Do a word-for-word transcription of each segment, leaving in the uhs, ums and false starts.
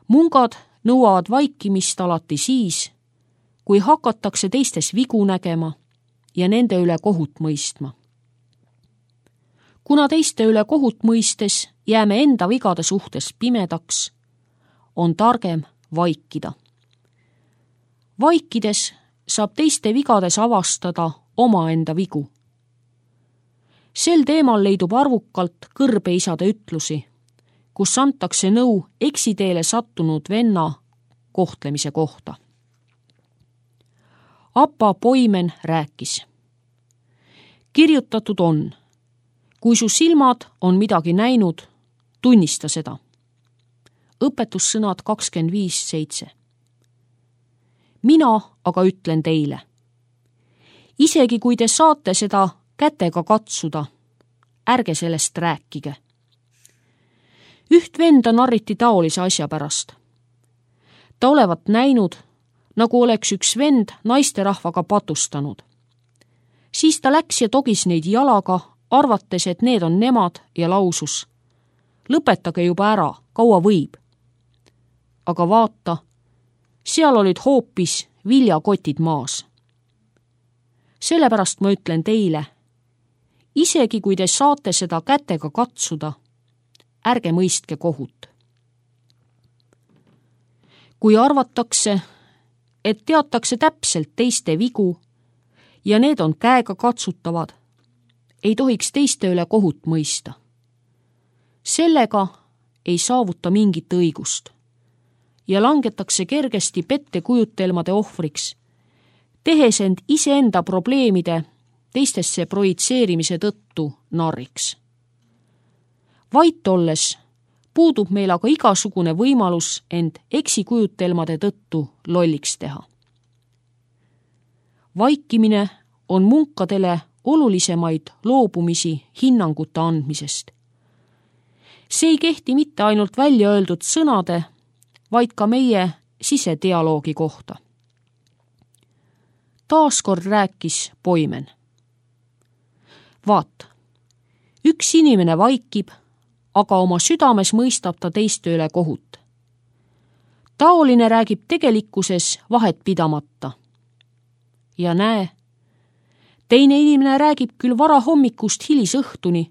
Mungad nõuavad vaikimist alati siis, kui hakatakse teistes vigu nägema ja nende üle kohut mõistma. Kuna teiste üle kohut mõistes jääme enda vigade suhtes pimedaks, on targem vaikida. Vaikides saab teiste vigades avastada omaenda vigu. Sel teemal leidub arvukalt kõrbeisade ütlusi, kus antakse nõu eksiteele sattunud venna kohtlemise kohta. Apa Poimen rääkis. Kirjutatud on, kui su silmad on midagi näinud, tunnista seda. Õpetussõnad kakskümmend viis seitse. Mina aga ütlen teile. Isegi kui te saate seda kätega katsuda, ärge sellest rääkige. Üht venda narriti taolise asja pärast. Ta olevat näinud, nagu oleks üks vend naisterahvaga patustanud. Siis ta läks ja togis neid jalaga, arvates, et need on nemad ja lausus. Lõpetage juba ära, kaua võib. Aga vaata, seal olid hoopis viljakotid maas. Sellepärast ma ütlen teile, isegi kui te saate seda kätega katsuda, ärge mõistke kohut. Kui arvatakse, et teatakse täpselt teiste vigu ja need on käega katsutavad, ei tohiks teiste üle kohut mõista. Sellega ei saavuta mingit õigust ja langetakse kergesti pettekujutelmade ohvriks, tehes end iseenda probleemide teistesse projitseerimise tõttu narriks. Vait olles puudub meil aga igasugune võimalus end eksikujutelmade tõttu lolliks teha. Vaikimine on munkadele olulisemaid loobumisi hinnanguta andmisest. See ei kehti mitte ainult välja öeldud sõnade, vaid ka meie sisedialoogi kohta. Taaskord rääkis Poimen. Vaat, üks inimene vaikib, aga oma südames mõistab ta teiste üle kohut. Taoline räägib tegelikkuses vahet pidamata. Ja näe, teine inimene räägib küll vara hommikust hilisõhtuni,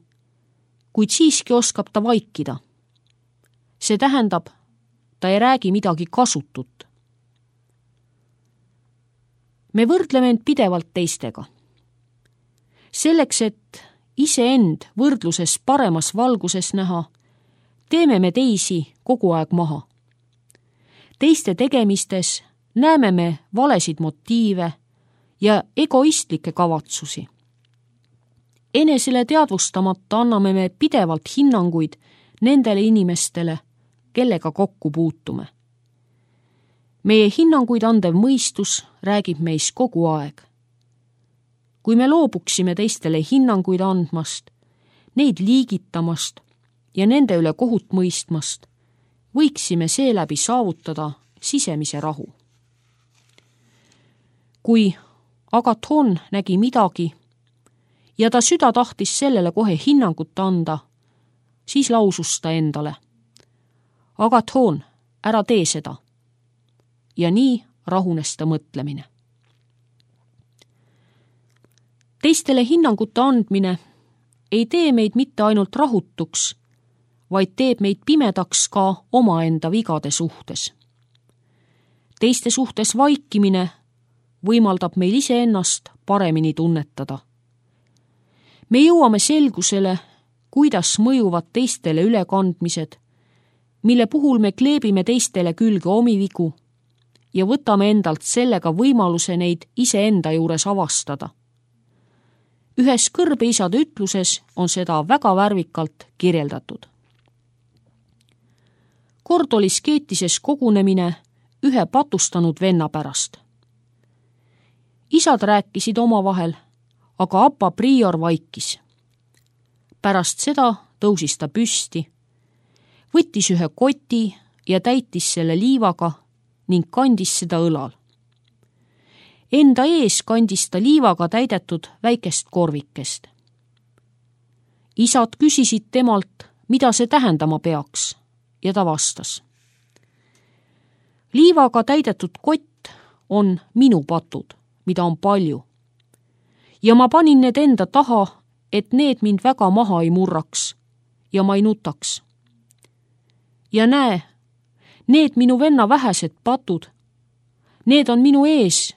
kuid siiski oskab ta vaikida. See tähendab, ta ei räägi midagi kasutut. Me võrdleme end pidevalt teistega. Selleks, et iseend võrdluses paremas valguses näha, teeme me teisi kogu aeg maha. Teiste tegemistes näeme me valesid motiive ja egoistlikke kavatsusi. Enesele teadvustamata anname me pidevalt hinnanguid nendele inimestele, kellega kokku puutume. Meie hinnanguid andev mõistus räägib meis kogu aeg. Kui me loobuksime teistele hinnanguid andmast, neid liigitamast ja nende üle kohut mõistmast, võiksime seeläbi saavutada sisemise rahu. Kui Agathon nägi midagi ja ta süda tahtis sellele kohe hinnangut anda, siis lausus ta endale. Agathon, ära tee seda. Ja nii rahunes ta mõtlemine. Teistele hinnanguta andmine ei tee meid mitte ainult rahutuks, vaid teeb meid pimedaks ka omaenda vigade suhtes. Teiste suhtes vaikimine võimaldab meil iseennast paremini tunnetada. Me jõuame selgusele, kuidas mõjuvad teistele ülekandmised, mille puhul me kleebime teistele külge omi vigu ja võtame endalt sellega võimaluse neid iseenda juures avastada. Ühes kõrbeisade ütluses on seda väga värvikalt kirjeldatud. Kord oli Skeetises kogunemine ühe patustanud venna pärast. Isad rääkisid omavahel, aga Apa prior vaikis. Pärast seda tõusis ta püsti, võttis ühe koti ja täitis selle liivaga ning kandis seda õlal. Enda ees kandis ta liivaga täidetud väikest korvikest. Isad küsisid temalt, mida see tähendama peaks, ja ta vastas. Liivaga täidetud kott on minu patud, mida on palju. Ja ma panin need enda taha, et need mind väga maha ei murraks ja ma ei nutaks. Ja näe, need minu venna vähesed patud, need on minu ees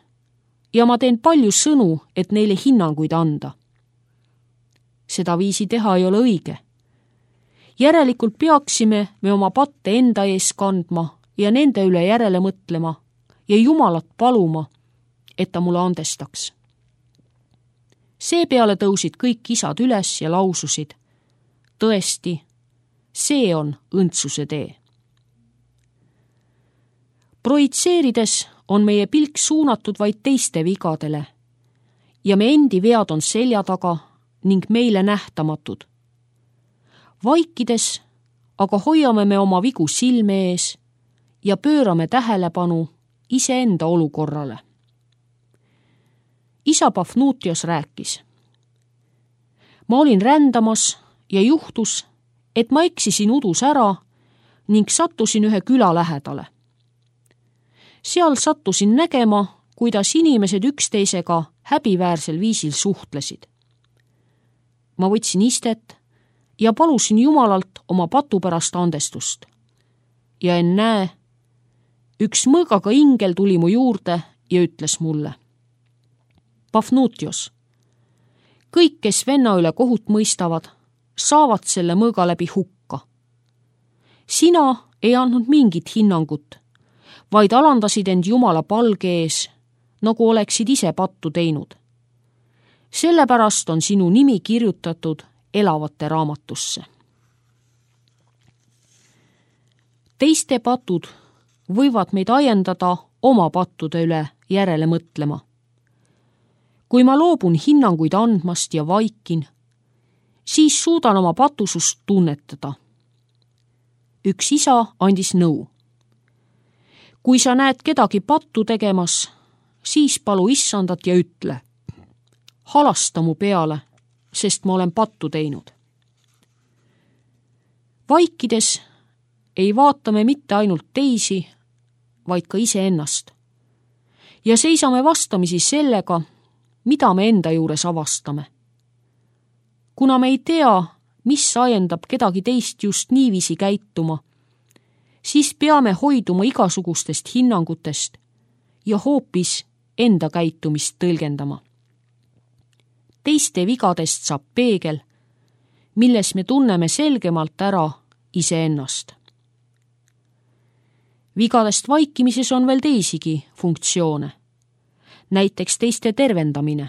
ja ma teen palju sõnu, et neile hinnanguid anda. Seda viisi teha ei ole õige. Järelikult peaksime me oma patte enda ees kandma ja nende üle järele mõtlema ja Jumalat paluma, et ta mulle andestaks. Seepeale tõusid kõik isad üles ja laususid: tõesti, see on õndsuse tee. Projitseerides on meie pilk suunatud vaid teiste vigadele ja me endi vead on selja taga ning meile nähtamatud. Vaikides aga hoiame me oma vigu silme ees ja pöörame tähelepanu iseenda olukorrale. Isa Pafnutios rääkis: ma olin rändamas ja juhtus, et ma eksisin udus ära ning sattusin ühe küla lähedale. Seal sattusin nägema, kuidas inimesed üksteisega häbiväärsel viisil suhtlesid. Ma võtsin istet ja palusin Jumalalt oma patu pärast andestust. Ja ennäe, üks mõõgaga ingel tuli mu juurde ja ütles mulle: Pafnutios, kõik, kes venna üle kohut mõistavad, saavad selle mõõga läbi hukka. Sina ei andnud mingit hinnangut, vaid alandasid end Jumala palge ees, nagu oleksid ise pattu teinud. Sellepärast on sinu nimi kirjutatud elavate raamatusse. Teiste patud võivad meid ajendada oma pattude üle järele mõtlema. Kui ma loobun hinnanguid andmast ja vaikin, siis suudan oma patusust tunnetada. Üks isa andis nõu: kui sa näed kedagi pattu tegemas, siis palu issandat ja ütle: halasta mu peale, sest ma olen pattu teinud. Vaikides ei vaata me mitte ainult teisi, vaid ka iseennast. Ja seisame vastamisi sellega, mida me enda juures avastame. Kuna me ei tea, mis ajendab kedagi teist just niiviisi käituma, siis peame hoiduma igasugustest hinnangutest ja hoopis enda käitumist tõlgendama. Teiste vigadest saab peegel, milles me tunneme selgemalt ära iseennast. Vigadest vaikimises on veel teisigi funktsioone, näiteks teiste tervendamine.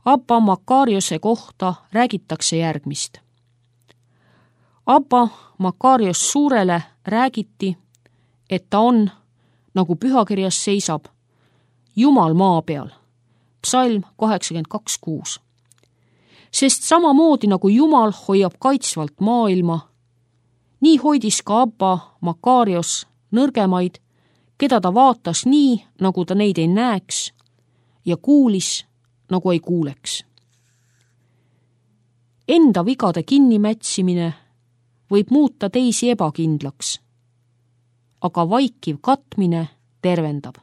Abba Makariose kohta räägitakse järgmist. Abba Makarios Suurele räägiti, et ta on, nagu pühakirjas seisab, Jumal maa peal, psalm kaheksakümmend kaks kuus. Sest samamoodi nagu Jumal hoiab kaitsvalt maailma, nii hoidis ka Abba Makarios nõrgemaid, keda ta vaatas nii, nagu ta neid ei näeks, ja kuulis, nagu ei kuuleks. Enda vigade kinnimätsimine võib muuta teisi ebakindlaks, aga vaikiv katmine tervendab.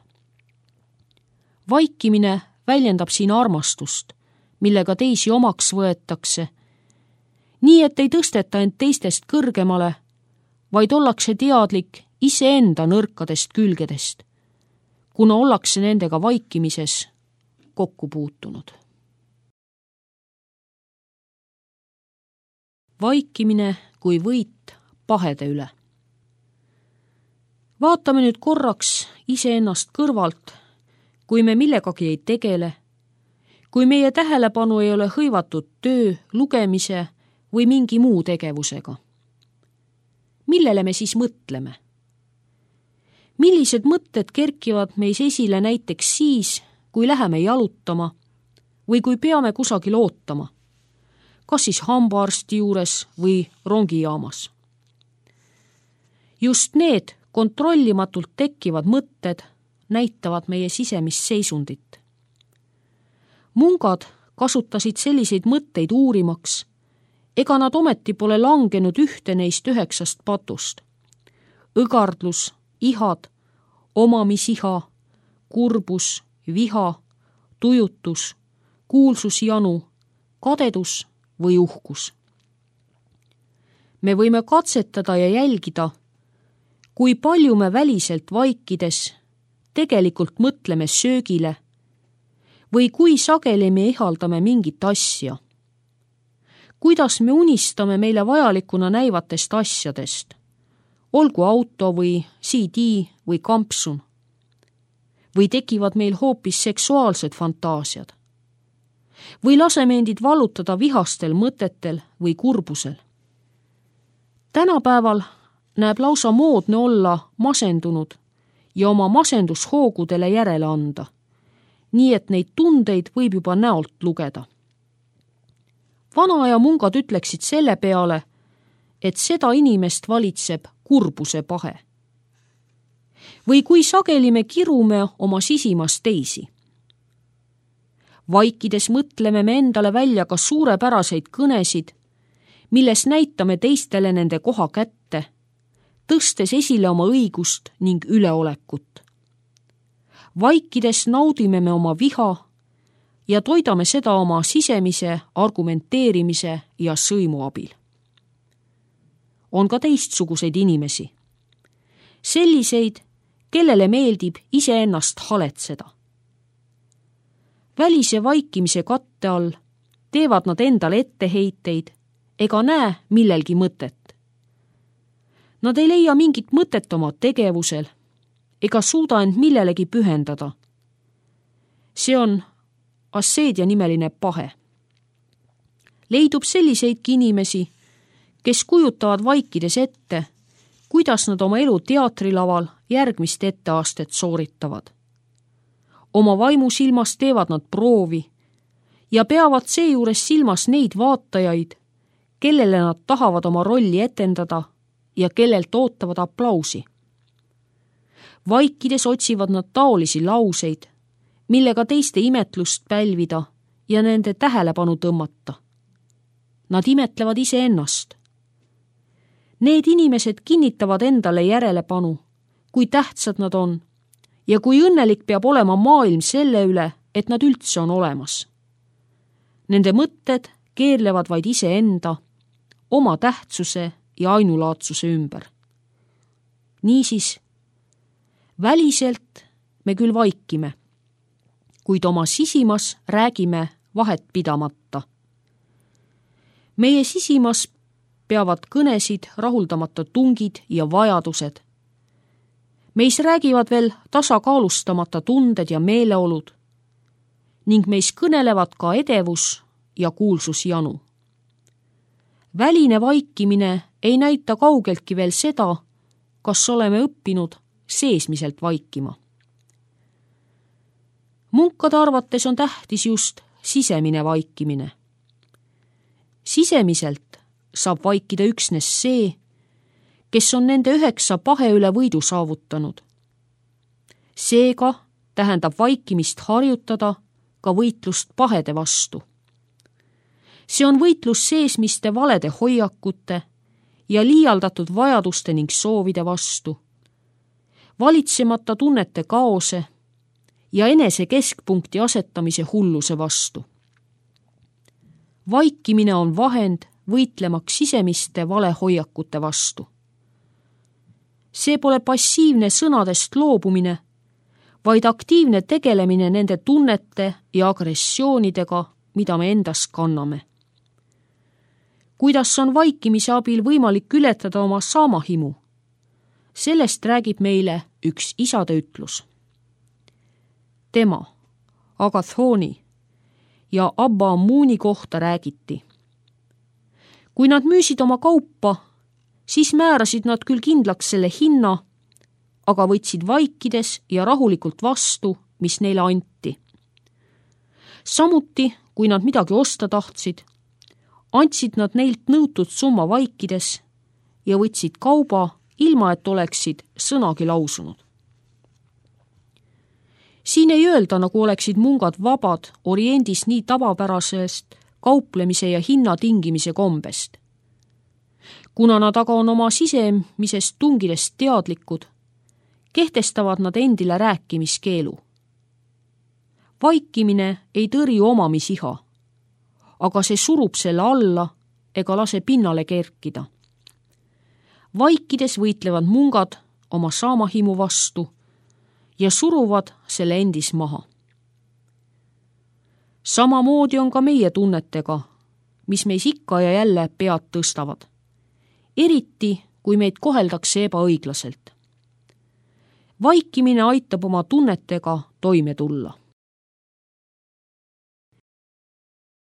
Vaikimine väljendab siin armastust, millega teisi omaks võetakse, nii et ei tõsteta end teistest kõrgemale, vaid ollakse teadlik iseenda nõrkadest külgedest, kuna ollakse nendega vaikimises kokku puutunud. Vaikimine kui võit pahede üle. Vaatame nüüd korraks iseennast kõrvalt, kui me millegagi ei tegele, kui meie tähelepanu ei ole hõivatud töö, lugemise või mingi muu tegevusega. Millele me siis mõtleme? Millised mõtted kerkivad meis esile näiteks siis, kui läheme jalutama või kui peame kusagil ootama, kas siis hambaarsti juures või rongijaamas? Just need kontrollimatult tekkivad mõtted näitavad meie sisemist seisundit. Mungad kasutasid selliseid mõtteid uurimaks, ega nad ometi pole langenud ühte neist üheksast patust. Õgardlus, ihad, omamisiha, kurbus, viha, tujutus, kuulsusjanu, kadedus või uhkus. Me võime katsetada ja jälgida, kui palju me väliselt vaikides tegelikult mõtleme söögile või kui sageli me ihaldame mingit asja. Kuidas me unistame meile vajalikuna näivatest asjadest, olgu auto või C D või kampsun. Või tekivad meil hoopis seksuaalsed fantaasiad. Või laseme endid vallutada vihastel mõtetel või kurbusel. Tänapäeval näeb lausa moodne olla masendunud ja oma masendushoogudele järele anda, nii et neid tundeid võib juba näolt lugeda. Vanaaja mungad ütleksid selle peale, et seda inimest valitseb kurbuse pahe. Või kui sageli me kirume oma sisimas teisi. Vaikides mõtleme me endale välja ka suurepäraseid kõnesid, milles näitame teistele nende koha kätte, tõstes esile oma õigust ning üleolekut. Vaikides naudime me oma viha ja toidame seda oma sisemise argumenteerimise ja sõimu abil. On ka teistsuguseid inimesi. Selliseid, kellele meeldib iseennast haletseda. Välise vaikimise katte all teevad nad endale etteheiteid ega näe millelgi mõtet. Nad ei leia mingit mõtet oma tegevusel ega suuda end millelegi pühendada. See on asseedia nimeline pahe. Leidub selliseidki inimesi, kes kujutavad vaikides ette, kuidas nad oma elu teatrilaval järgmist etteastet sooritavad. Oma vaimusilmas teevad nad proovi ja peavad seejuures silmas neid vaatajaid, kellele nad tahavad oma rolli etendada ja kellelt ootavad aplausi. Vaikides otsivad nad taolisi lauseid, millega teiste imetlust pälvida ja nende tähelepanu tõmmata. Nad imetlevad iseennast. Need inimesed kinnitavad endale järellepanu, kui tähtsad nad on ja kui õnnelik peab olema maailm selle üle, et nad üldse on olemas. Nende mõtted keerlevad vaid iseenda, oma tähtsuse ja ainulaatsuse ümber. Niisiis, väliselt me küll vaikime, kuid oma sisimas räägime vahet pidamata. Meie sisimas peavad kõnesid rahuldamata tungid ja vajadused. Meis räägivad veel tasakaalustamata tunded ja meeleolud ning meis kõnelevad ka edevus ja kuulsusjanu. Väline vaikimine ei näita kaugeltki veel seda, kas oleme õppinud seesmiselt vaikima. Munkade arvates on tähtis just sisemine vaikimine. Sisemiselt saab vaikida üksnes see, kes on nende üheksa pahe üle võidu saavutanud. Seega tähendab vaikimist harjutada ka võitlust pahede vastu. See on võitlus seesmiste valede hoiakute ja liialdatud vajaduste ning soovide vastu, valitsemata tunnete kaose ja enese keskpunkti asetamise hulluse vastu. Vaikimine on vahend võitlemaks sisemiste valehoiakute vastu. See pole passiivne sõnadest loobumine, vaid aktiivne tegelemine nende tunnete ja agressioonidega, mida me endas kanname. Kuidas on vaikimise abil võimalik ületada oma saamahimu? Sellest räägib meile üks isade ütlus. Tema, Agathoni ja Abba Ammuuni kohta räägiti. Kui nad müüsid oma kaupa, siis määrasid nad küll kindlaks selle hinna, aga võtsid vaikides ja rahulikult vastu, mis neile anti. Samuti, kui nad midagi osta tahtsid, andsid nad neilt nõutud summa vaikides ja võtsid kauba, ilma et oleksid sõnagi lausunud. Siin ei öelda, nagu oleksid mungad vabad Oriendis nii tavapärasest kauplemise ja hinna tingimise kombest. Kuna nad aga on oma sisemisest tungidest teadlikud, kehtestavad nad endile rääkimiskeelu. Vaikimine ei tõrju omamisiha, aga see surub selle alla ega lase pinnale kerkida. Vaikides võitlevad mungad oma saamahimu vastu ja suruvad selle endis maha. Samamoodi on ka meie tunnetega, mis meis ikka ja jälle pead tõstavad, eriti kui meid koheldakse ebaõiglaselt. Vaikimine aitab oma tunnetega toime tulla.